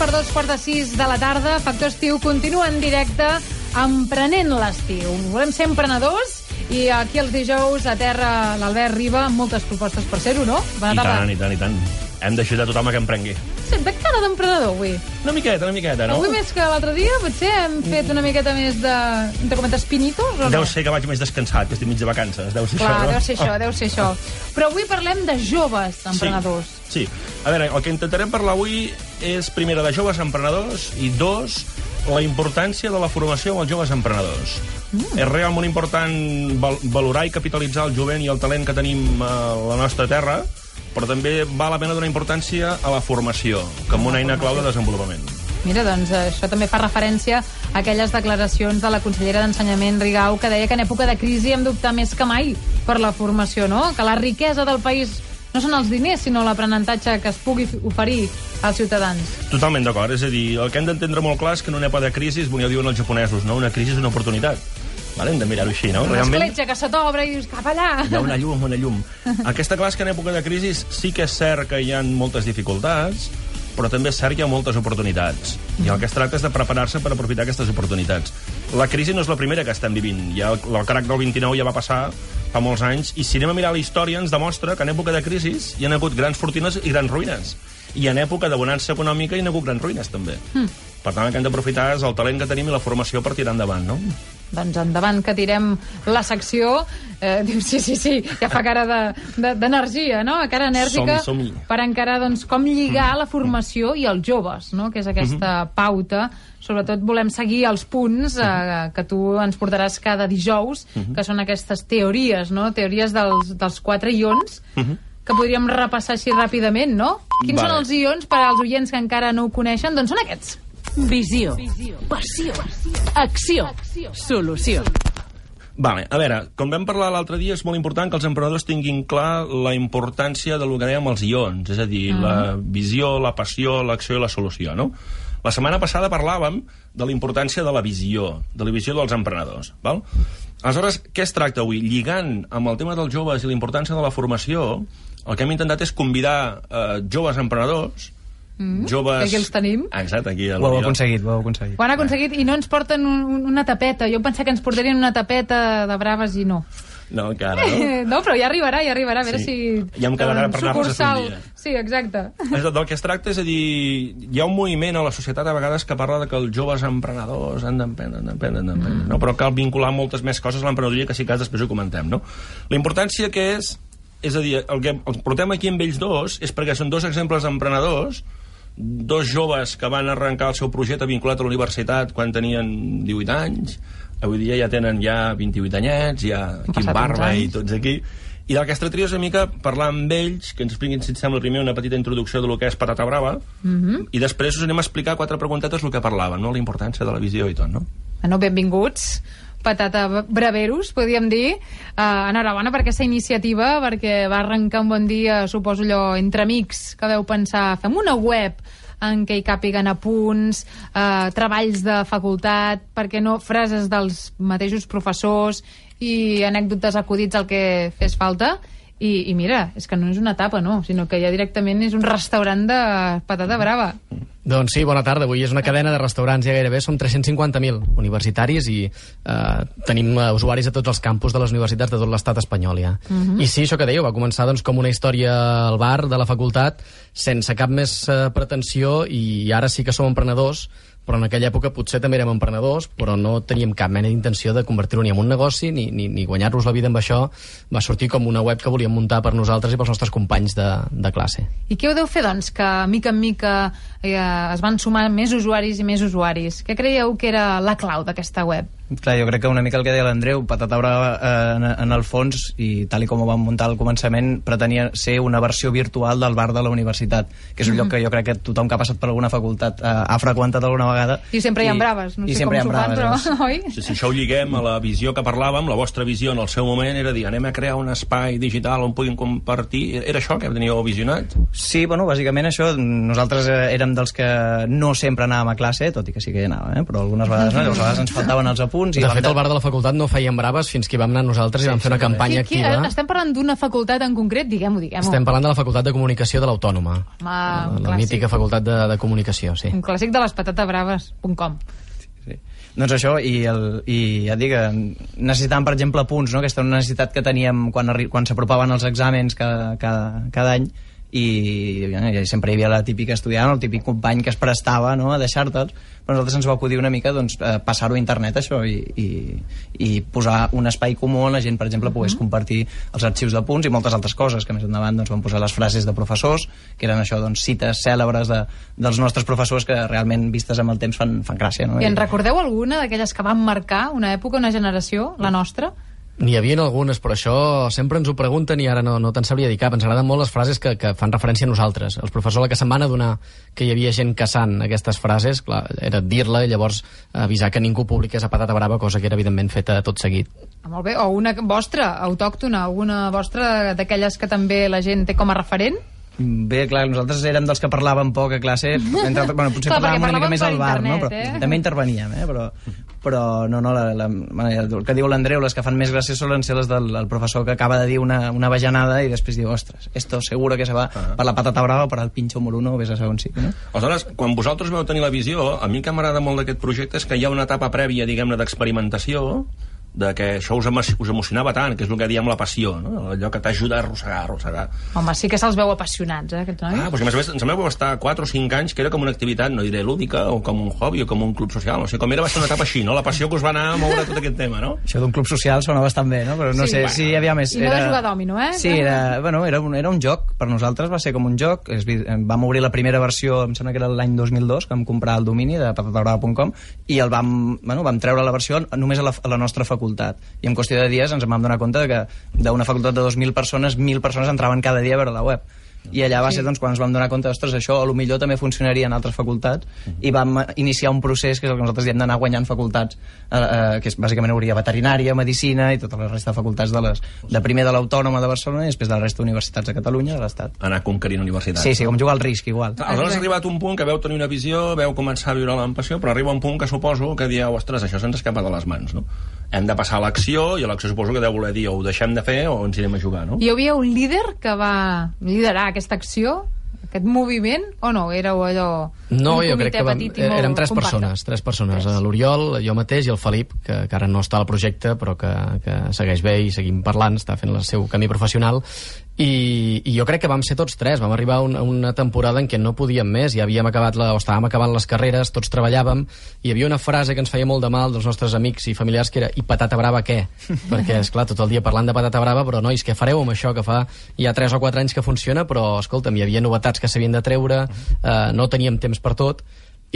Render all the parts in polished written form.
per 5:02 de la tarda. Factor Estiu continua en directe emprenent l'estiu. Volem ser emprenedors i aquí els dijous a terra l'Albert Riba amb moltes propostes per ser-ho, no? I tant. Hem d'ajudar tothom a que emprengui. Sí, de cara d'emprenedor avui. Una miqueta, no? Avui més que l'altre dia, potser hem fet una miqueta més de... entre comentes, pinitos, o no? Deu ser que vaig més descansat, que estic mig de vacances. Deu ser Clar, això, no? deu ser això. Però avui parlem de joves emprenedors. Sí. A veure, el que intentarem parlar avui és, primera, de joves emprenedors i, dos, la importància de la formació amb els joves emprenedors. És realment important valorar i capitalitzar el jovent i el talent que tenim a la nostra terra, però també val la pena donar importància a la formació, com una eina clau de desenvolupament. Mira, doncs això també fa referència a aquelles declaracions de la consellera d'Ensenyament, Rigau, que deia que en època de crisi hem d'optar més que mai per la formació, no? Que la riquesa del país no són els diners, sinó l'aprenentatge que es pugui oferir als ciutadans. Totalment d'acord. És a dir, el que hem d'entendre molt clar és que en una època de crisi, ja ho diuen els japonesos, no? Una crisi és una oportunitat. Vale, hem de mirar-ho així, no? Una escletxa que se t'obre i dius cap allà. Hi ha una llum. Aquesta clar és que en època de crisi sí que és cert que hi ha moltes dificultats, però també és cert que hi ha moltes oportunitats. I el que es tracta és de preparar-se per aprofitar aquestes oportunitats. La crisi no és la primera que estem vivint. Ja el crac del 29 ja va passar fa molts anys, i si anem a mirar la història ens demostra que en època de crisi hi ha hagut grans fortunes i grans ruïnes. I en època de bonança econòmica hi ha hagut grans ruïnes, també. Per tant, el que hem d'aprofitar és el talent que tenim i la formació per tirar endavant, no? Doncs endavant, que tirem la secció. Diu, sí, ja fa cara d'energia, no? Cara enèrgica. Som-hi. Per encarar, doncs, com lligar la formació i els joves, no? Que és aquesta pauta. Sobretot volem seguir els punts que tu ens portaràs cada dijous, que són aquestes teories, no? Teories dels 4 ions, que podríem repassar així ràpidament, no? Quins són els ions per als oients que encara no ho coneixen? Doncs són aquests. Visió, passió, acció, solució. Vale, a veure, com vam parlar l'altre dia, és molt important que els emprenedors tinguin clar la importància del que dèiem els ions, és a dir, la visió, la passió, l'acció i la solució, no? La setmana passada parlàvem de la importància de la visió dels emprenedors, val? Aleshores, què es tracta avui? Lligant amb el tema dels joves i la importància de la formació, el que hem intentat és convidar joves emprenedors, joves... Aquí els tenim. Exacte, aquí. Ho heu aconseguit. Ho han aconseguit i no ens porten una tapeta. Jo pensava que ens portarien una tapeta de braves i no. No, encara, no? No, però ja arribarà, a veure si... Ja em quedarà per anar-nos un dia. Sí, exacte. Del que es tracta és a dir, hi ha un moviment a la societat a vegades que parla de que els joves emprenedors han d'emprendre, no? Però cal vincular moltes més coses a l'emprenedoria, que si cas després ho comentem, no? La importància que és a dir, el que els portem aquí amb ells dos és perquè són dos exemples d'emprenedors, dos joves que van arrencar el seu projecte vinculat a la universitat quan tenien 18 anys, avui dia ja tenen 28 anyets, ja aquí amb barba i tots aquí. I del que es tractaria és una mica parlar amb ells, que ens expliquin, si et sembla, primer una petita introducció del que és Patata Brava, i després us anem a explicar 4 preguntetes el que parlàvem, no? La importància de la visió i tot, no? Bueno, benvinguts. Patata Braveros, podríem dir. Enhorabona per aquesta iniciativa, perquè va arrencar un bon dia, suposo allò, entre amics, que veu pensar, fem una web en què hi càpiguen apunts, treballs de facultat, perquè no frases dels mateixos professors i anècdotes acudits al que fes falta. I mira, és que no és una tapa, no, sinó que ja directament és un restaurant de patata brava. Doncs sí, bona tarda. Avui és una cadena de restaurants, ja gairebé som 350.000 universitaris i tenim usuaris a tots els campus de les universitats de tot l'estat espanyol, ja. I sí, això que dèieu, va començar doncs, com una història al bar de la facultat, sense cap més pretensió, i ara sí que som emprenedors, però en aquella època potser també érem emprenedors, però no teníem cap mena d'intenció de convertir-ho ni en un negoci ni guanyar-nos la vida amb això. Va sortir com una web que volíem muntar per nosaltres i pels nostres companys de classe. I què ho deu fer, doncs, que mica en mica es van sumar més usuaris i més usuaris? Què creieu que era la clau d'aquesta web? Clar, jo crec que una mica el que deia l'Andreu, Patata Brava en el fons, i tal com ho vam muntar al començament, pretenia ser una versió virtual del bar de la universitat, que és un lloc que jo crec que tothom que ha passat per alguna facultat ha freqüentat alguna vegada. I sempre hi ha braves, no sé com s'ho fan, però... Oi? Si això ho lliguem a la visió que parlàvem, la vostra visió en el seu moment era dir, anem a crear un espai digital on puguin compartir. Era això que teníeu visionat? Sí, bueno, bàsicament això. Nosaltres érem dels que no sempre anàvem a classe, tot i que sí que hi anàvem, però algunes vegades no, llavors a vegades ens faltaven els apunts, punts... De fet, al bar de la facultat no feien braves fins que hi vam anar nosaltres i vam fer una campanya activa. Estem parlant d'una facultat en concret? Diguem-ho. Estem parlant de la Facultat de Comunicació de l'Autònoma. La mítica Facultat de Comunicació, sí. Un clàssic de lespatatabraves.com. Sí. Doncs això, i ja et dic, necessitàvem, per exemple, punts, no? Aquesta necessitat que teníem quan s'apropaven els exàmens cada any, i sempre hi havia la típica estudiant, el típic company que es prestava, no?, a deixar-te'ls, però nosaltres ens va acudir una mica, doncs, passar-ho a internet, això, i posar un espai comú on la gent, per exemple, pogués compartir els arxius de punts i moltes altres coses, que més endavant doncs, vam posar les frases de professors, que eren això, doncs, cites cèlebres dels nostres professors que realment, vistes amb el temps, fan gràcia, no? I en recordeu alguna d'aquelles que van marcar una època, una generació, la nostra? N'hi havia algunes, però això sempre ens ho pregunten i ara no te'n sabria dir cap. Ens agraden molt les frases que fan referència a nosaltres. Els professors, la que se'n van adonar que hi havia gent caçant aquestes frases, clar, era dir-la i llavors avisar que ningú publiqués a patata brava, cosa que era evidentment feta tot seguit. Molt bé, o una vostra, autòctona, alguna vostra d'aquelles que també la gent té com a referent? Bé, clar, nosaltres érem dels que parlàvem poc a classe, potser parlàvem una mica més al bar, no? Però també interveníem, però no, el que diu l'Andreu, les que fan més gràcia solen ser les del professor que acaba de dir una bajanada i després diu, ostres, esto seguro que se va per la patata brava o per al pincho moruno, o vés a saber on sí, no? Aleshores, quan vosaltres vau tenir la visió, a mi que m'agrada molt d'aquest projecte és que hi ha una etapa prèvia, diguem-ne, d'experimentació, de que això us emocionava tant, que és el que diem la passió, no? Allò que t'ajuda a arrossegar. Home, sí que se'ls veu apassionats, aquests nois. Doncs a més ens vau estar 4 o 5 anys que era com una activitat, no diré lúdica, o com un hobby, o com un club social, no sé, com era, va ser una etapa així, no? La passió que us va anar a moure tot aquest tema, no? Això d'un club social sona bastant bé, no? Però no sé si hi havia més... I no de jugar dòmino, Sí, era un joc, per nosaltres va ser com un joc, vam obrir la primera versió, em sembla que era l'any 2002, que vam comprar el domini de patatabrava.com, i vam treure la versió només a la nostra facultat, i en qüestió de dies ens vam donar compte que d'una facultat de 2.000 persones, 1.000 persones entraven cada dia a veure la web. I allà va ser doncs, quan ens vam donar compte, ostres, això potser també funcionaria en altres facultats, i vam iniciar un procés que és el que nosaltres diem d'anar guanyant facultats, que és, bàsicament hauria veterinària, medicina i tota la resta de facultats de primer de l'Autònoma de Barcelona i després de la resta d'universitats de Catalunya, de l'Estat. Anar conquerint universitats. Sí, com jugar al risc, igual. Aleshores ha arribat un punt que veu tenir una visió, veu començar a viure-la amb passió, però arriba un punt que suposo que dieu, ostres, això se'ns escapa de les mans, no? Hem de passar a l'acció, i a l'acció suposo que deu voler dir o ho deixem de fer o ens irem a jugar, no? Hi havia un líder que va liderar aquesta acció, aquest moviment, o no? Éreu allò... No, jo crec que érem tres persones. L'Oriol, jo mateix i el Felip, que ara no està al projecte, però que segueix bé i seguim parlant, està fent el seu camí professional, i jo crec que vam ser tots tres. Vam arribar a una temporada en què no podíem més, ja estàvem acabant les carreres, tots treballàvem, i hi havia una frase que ens feia molt de mal dels nostres amics i familiars, que era, i patata brava què? Perquè, esclar, tot el dia parlant de patata brava, però nois, què fareu amb això que fa ja 3 o 4 anys que funciona, però escolta'm, hi havia novetats que s'havien de treure, no teníem temps per tot,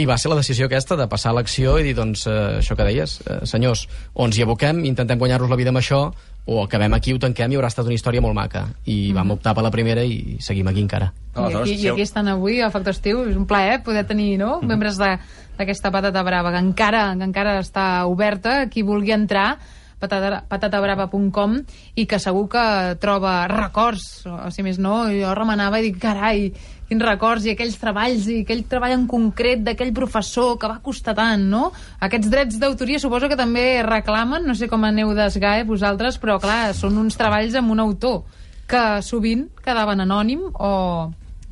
i va ser la decisió aquesta de passar a l'acció i dir, doncs, això que deies, senyors, o ens hi aboquem, intentem guanyar-nos la vida amb això, o acabem aquí, ho tanquem i haurà estat una història molt maca. I vam optar per la primera i seguim aquí encara. I aquí estan avui a Factor Estiu. És un plaer poder tenir, no?, membres d'aquesta patata brava que encara està oberta, qui vulgui entrar, patatabrava.com, i que segur que troba records, o si més no, jo remenava i dic, carai, quins records, i aquells treballs, i aquell treball en concret d'aquell professor que va costar tant, no? Aquests drets d'autoria suposo que també reclamen, no sé com aneu d'esgae vosaltres, però clar, són uns treballs amb un autor que sovint quedaven anònim o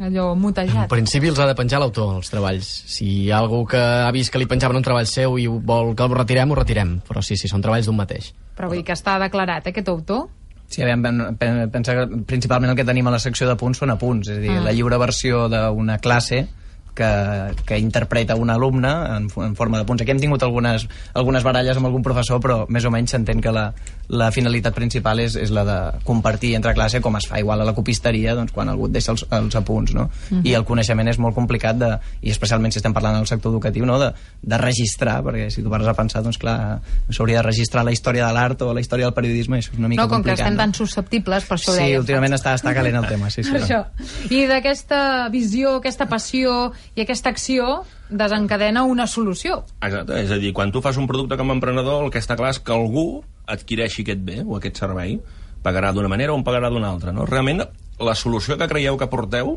allò mutejat. En principi els ha de penjar l'autor, els treballs. Si hi ha algú que ha vist que li penjaven un treball seu i vol que el retirem, però sí, són treballs d'un mateix. Però vull dir que està declarat, aquest autor? Sí, pensa que principalment el que tenim a la secció de punts són apunts, és a dir, la lliure versió d'una classe que interpreta un alumne en forma de punts. Aquí hem tingut algunes baralles amb algun professor, però més o menys s'entén que la finalitat principal és la de compartir entre classe, com es fa igual a la copisteria, doncs, quan algú et deixa els apunts, no? I el coneixement és molt complicat, i especialment si estem parlant del sector educatiu, no? de registrar, perquè si tu pares a pensar, doncs clar, s'hauria de registrar la història de l'art o la història del periodisme, i això és una mica complicat. No, com que estem tan susceptibles, per això ho deia. Sí, últimament està calent el tema, sí. Per això. I d'aquesta visió, aquesta passió i aquesta acció desencadena una solució. Exacte, és a dir, quan tu fas un producte com a emprenedor, el que està clar és que algú adquireixi aquest bé o aquest servei, pagarà d'una manera o en pagarà d'una altra, no? Realment, la solució que creieu que porteu,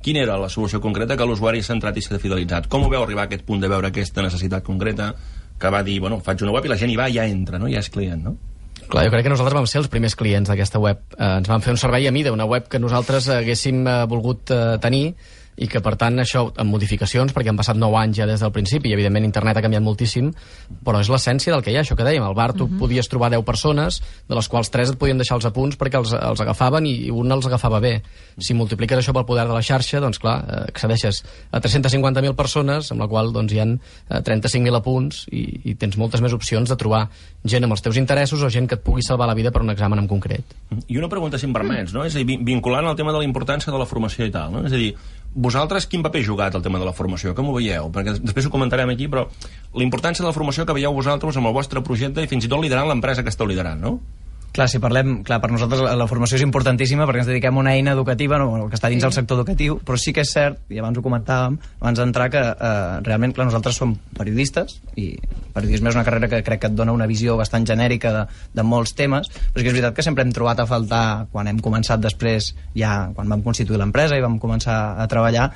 quina era la solució concreta que l'usuari s'ha entrat i s'ha fidelitzat? Com ho veu arribar a aquest punt de veure aquesta necessitat concreta, que va dir, bueno, faig una web i la gent hi va i ja entra, no? Ja és client, no? Clar, jo crec que nosaltres vam ser els primers clients d'aquesta web. Ens van fer un servei a mida, una web que nosaltres haguéssim volgut tenir i que, per tant, això, amb modificacions, perquè han passat 9 anys ja des del principi, i, evidentment, internet ha canviat moltíssim, però és l'essència del que hi ha, això que dèiem. Al bar tu podies trobar 10 persones, de les quals 3 et podien deixar els apunts perquè els agafaven i un els agafava bé. Si multipliques això pel poder de la xarxa, doncs, clar, accedeixes a 350.000 persones, amb la qual doncs, hi ha 35.000 apunts i tens moltes més opcions de trobar gent amb els teus interessos o gent que et pugui salvar la vida per un examen en concret. I una pregunta, si em permets, no? És a dir, vinculant el tema de la importància de la formació i tal, no? És a dir, vosaltres quin paper heu jugat al tema de la formació? Com ho veieu? Perquè després ho comentarem aquí, però la importància de la formació que veieu vosaltres amb el vostre projecte i fins i tot liderant l'empresa que esteu liderant, no? Clar, si parlem, clar, per nosaltres la formació és importantíssima perquè ens dediquem a una eina educativa, no, que està dins del sector educatiu, però sí que és cert, i abans ho comentàvem, abans d'entrar, que realment, clar, nosaltres som periodistes, i periodisme és una carrera que crec que et dona una visió bastant genèrica de molts temes, però sí que és veritat que sempre hem trobat a faltar, quan hem començat després, ja quan vam constituir l'empresa i vam començar a treballar,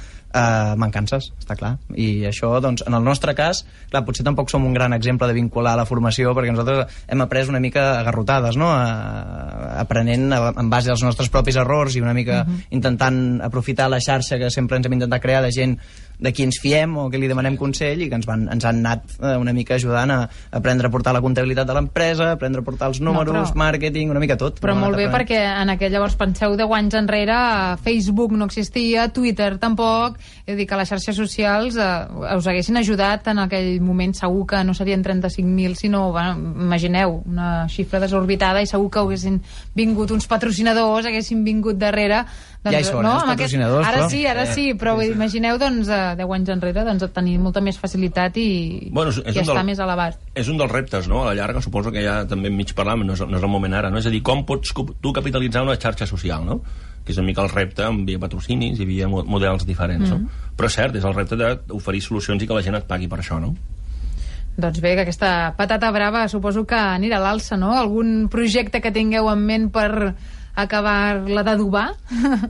mancances, està clar. I això, doncs, en el nostre cas, clar, potser tampoc som un gran exemple de vincular la formació, perquè nosaltres hem après una mica agarrotades, no? Aprenent en base als nostres propis errors i una mica intentant aprofitar la xarxa que sempre ens hem intentat crear de gent de qui ens fiem o que li demanem consell i que ens han anat una mica ajudant a aprendre a portar la comptabilitat de l'empresa, aprendre a portar els números, màrqueting, una mica tot. Però molt bé, perquè en aquell, llavors, penseu 10 anys enrere, Facebook no existia, Twitter tampoc, és a dir, que les xarxes socials us haguessin ajudat en aquell moment. Segur que no serien 35.000, sinó, bueno, imagineu, una xifra desorbitada, i segur que haguessin vingut uns patrocinadors, haguessin vingut darrere. Doncs, ja hi són, els patrocinadors, ara sí, però imagineu, doncs, 10 anys enrere, doncs, tenir molta més facilitat i estar més elevat. És un dels reptes, no?, a la llarga, suposo que ja també mig parlàvem, no és el moment ara, no? És a dir, com pots tu capitalitzar una xarxa social, no?, que és una mica el repte via patrocinis i via models diferents, no? Però és cert, és el repte d'oferir solucions i que la gent et pagui per això, no? Doncs bé, que aquesta patata brava suposo que anirà a l'alça, no? Algun projecte que tingueu en ment per acabar-la d'adobar?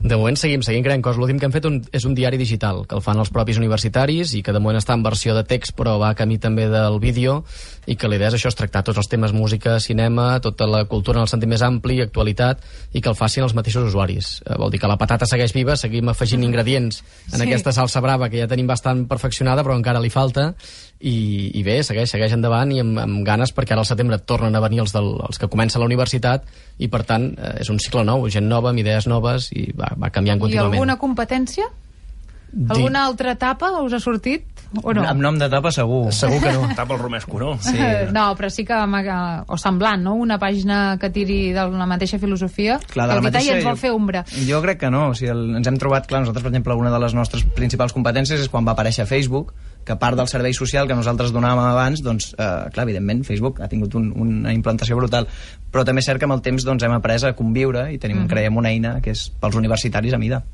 De moment seguim creant coses. L'últim que hem fet és un diari digital, que el fan els propis universitaris i que de moment està en versió de text, però va a camí també del vídeo, i que la idea és això, és tractar tots els temes música, cinema, tota la cultura en el sentit més ampli, actualitat, i que el facin els mateixos usuaris. Vol dir que la patata segueix viva, seguim afegint ingredients en aquesta salsa brava que ja tenim bastant perfeccionada, però encara li falta, i bé, segueix endavant i amb ganes, perquè ara al setembre tornen a venir els que comencen la universitat i, per tant, és un cicle nou, gent nova, amb idees noves, i va canviant contínuament. I alguna competència? Alguna altra etapa us ha sortit? O no? Amb nom d'etapa segur. Segur que no. Etapa el Romesco, no? Sí. No, però sí que... O semblant, no? Una pàgina que tiri de la mateixa filosofia, clar, que el mateixa ens vol fer ombra. Jo crec que no. O sigui, ens hem trobat, clar, nosaltres, per exemple, una de les nostres principals competències és quan va aparèixer Facebook, que a part del servei social que nosaltres donàvem abans, doncs, clar, evidentment, Facebook ha tingut una implantació brutal, però també és cert que amb el temps doncs, hem après a conviure i creiem una eina que és pels universitaris a mida.